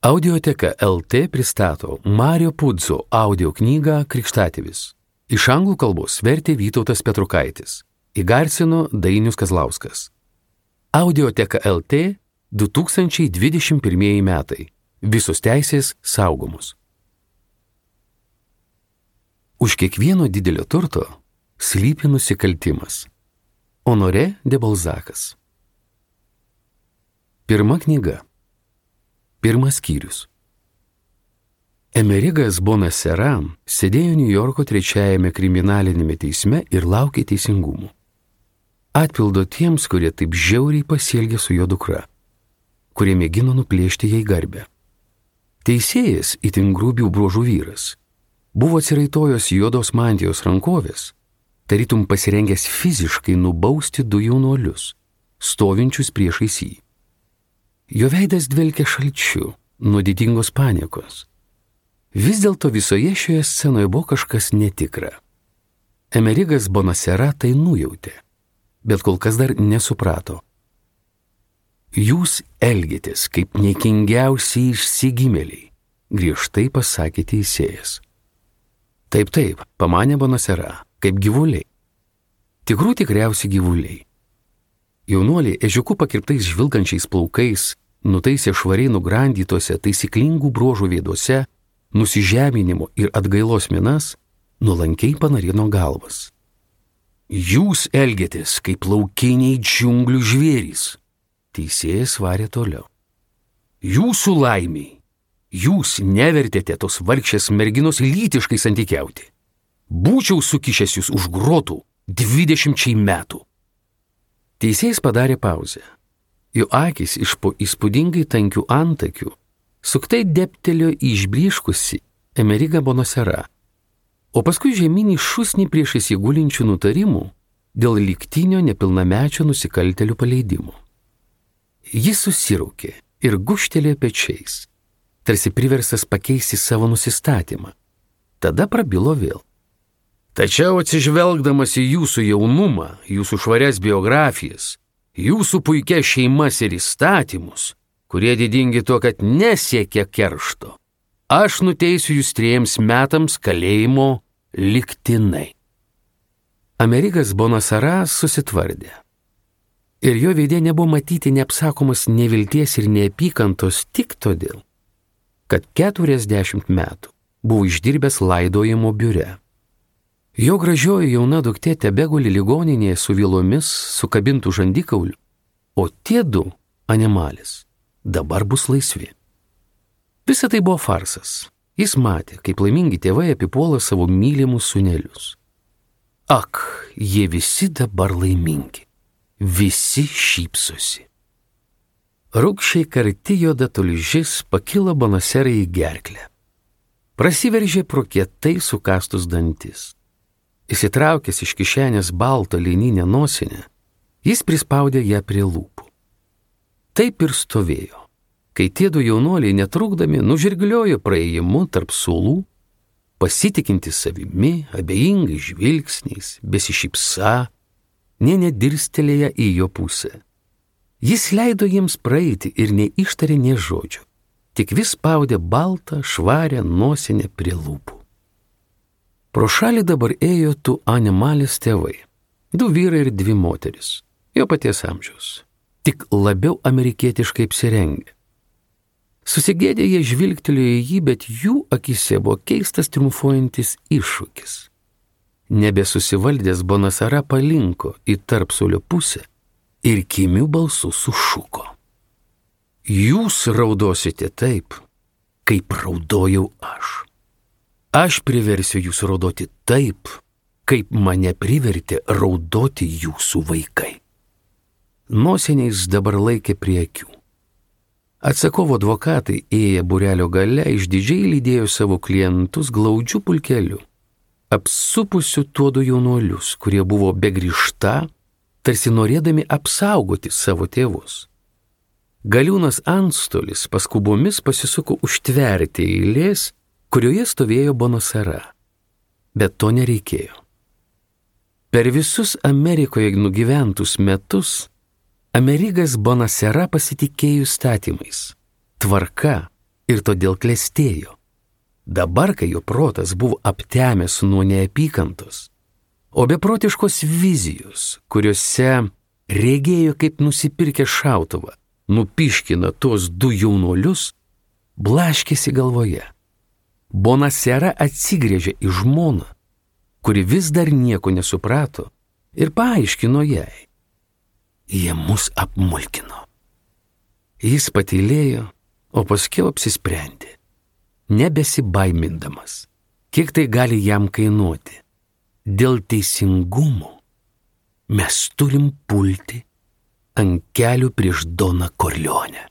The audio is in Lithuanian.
Audioteka LT pristato Mario Puzo audio knygą Krikštatėvis. Iš anglų kalbos vertė Vytautas Petrukaitis. Įgarsino Dainius Kazlauskas. Audioteka LT 2021 metai. Visos teisės saugomos. Už kiekvieno didelio turto slypi nusikaltimas. Honoré de Balzakas. Pirma knyga. Pirmas skyrius. Emerigas Bonasera sėdėjo Niujorko 3-ame kriminalinėme teisme ir laukė teisingumo. Atpildo tiems, kurie taip žiauriai pasielgė su jo dukra, kurie mėgino nuplėšti jai garbę. Teisėjas, itin grubių bruožų vyras, buvo atsiraitojęs juodos mantijos rankovės, tarytum pasirengęs fiziškai nubausti du jaunuolius, stovinčius priešais jį. Jo veidas dvelkė šalčiu, nuo didingos paniekos. Vis dėlto visoje šioje scenoje buvo kažkas netikra. Emerigas Bonasera tai nujautė, bet kol kas dar nesuprato. Jūs elgėtės kaip niekingiausiai išsigimėliai, griežtai pasakė teisėjas. Taip, pamanė Bonasera, kaip gyvuliai. Tikrų tikriausiai gyvuliai. Jaunuoliai ežiuku pakirptais žvilgančiais plaukais nutaisė švariai nugrandytose taisyklingų bruožų veiduose nusižeminimo ir atgailos minas, nuolankiai panarino galvas. Jūs elgėtės kaip laukiniai džiunglių žvėrys, teisėjas varė toliau. Jūsų laimiai, jūs nevertėte tos vargšės merginos lytiškai santykiauti. Būčiau sukišęs jūs už grotų 20 metų. Teisėjas padarė pauzę. Jo akis iš po įspūdingai tankių antakių suktai deptelėjo į išblyškusį Emerigą Bonasera, o paskui žemynį šusnį priešais įgulinčių nutarimų dėl lygtinio nepilnamečio nusikaltėlių paleidimo. Jis susiraukė ir gūžtelėjo pečiais, tarsi priverstas pakeisti savo nusistatymą. Tada prabilo vėl. Tačiau atsižvelgdamas į jūsų jaunumą, jūsų švarias biografijas, jūsų puikias šeimas ir įstatymus, kurie didingi tuo, kad nesiekia keršto, aš nuteisiu jūs 3 metams kalėjimo lygtinai. Emerigas Bonasera susitvardė. Ir jo veide nebuvo matyti neapsakomas nevilties ir neapykantos tik todėl, kad 40 metų buvo išdirbęs laidojimo biure. Jo gražioji jauna duktė tebeguli ligoninėje su vilomis sukabintų žandikaulių, o tie 2 animalis dabar bus laisvi. Visa tai buvo farsas. Jis matė, kaip laimingi tėvai apipuola savo mylimus sūnelius. Ak, jie visi dabar laimingi. Visi šypsosi. Rūgščiai karti juoda tulžis pakilo Bonaserai į gerklę. Prasiveržė pro kietai sukastus dantis. Įsitraukęs iš kišenės baltą lininę nosinę, jis prispaudė ją prie lūpų. Taip ir stovėjo, kai tie 2 jaunuoliai netrukdami nužirgliojo praėjimu tarp suolų, pasitikinti savimi, abejingai žvilgsniais, besišypsa, nė nedirstelėję į jo pusę. Jis leido jiems praeiti ir neištarė nė žodžio, tik vis spaudė baltą, švarę nosinę prie lūpų. Pro šalį dabar ėjo 2 animalės tėvai, 2 vyrai ir 2 moteris, jo paties amžiaus, tik labiau amerikietiškai apsirengę. Susigėdę jie žvilgtelėjo į jį, bet jų akise buvo keistas triumfuojantis iššūkis. Nebesusivaldęs Bonasera palinko į tarpsulio pusę ir kimiu balsu sušuko. Jūs raudosite taip, kaip raudojau aš. Aš priversiu jūs raudoti taip, kaip mane privertė raudoti jūsų vaikai. Nosiniais dabar laikė prie akių. Atsakovo advokatai ėję būrelio gale išdidžiai lydėjo savo klientus glaudžiu pulkeliu, apsupusiu tuo 2 jaunuolius, kurie buvo begrįžta, tarsi norėdami apsaugoti savo tėvus. Galiūnas antstolis paskubomis pasisuko užtverti eilės, kurioje stovėjo Bonasera, bet to nereikėjo. Per visus Amerikoje nugyventus metus Emerigas Bonasera pasitikėjo įstatymais, tvarka ir todėl klestėjo. Dabar, kai jo protas buvo aptemęs nuo neapykantos, o beprotiškos vizijos, kuriuose regėjo, kaip nusipirkę šautuvą, nupiškina tuos du jaunuolius, blaškėsi galvoje. Bonasera atsigręžė į žmoną, kuri vis dar nieko nesuprato, ir paaiškino jai. Jie mus apmulkino. Jis patylėjo, o paskiau apsisprendė, nebesibaimindamas, kiek tai gali jam kainuoti. Dėl teisingumo mes turim pulti ant kelių prieš Doną Korleonę.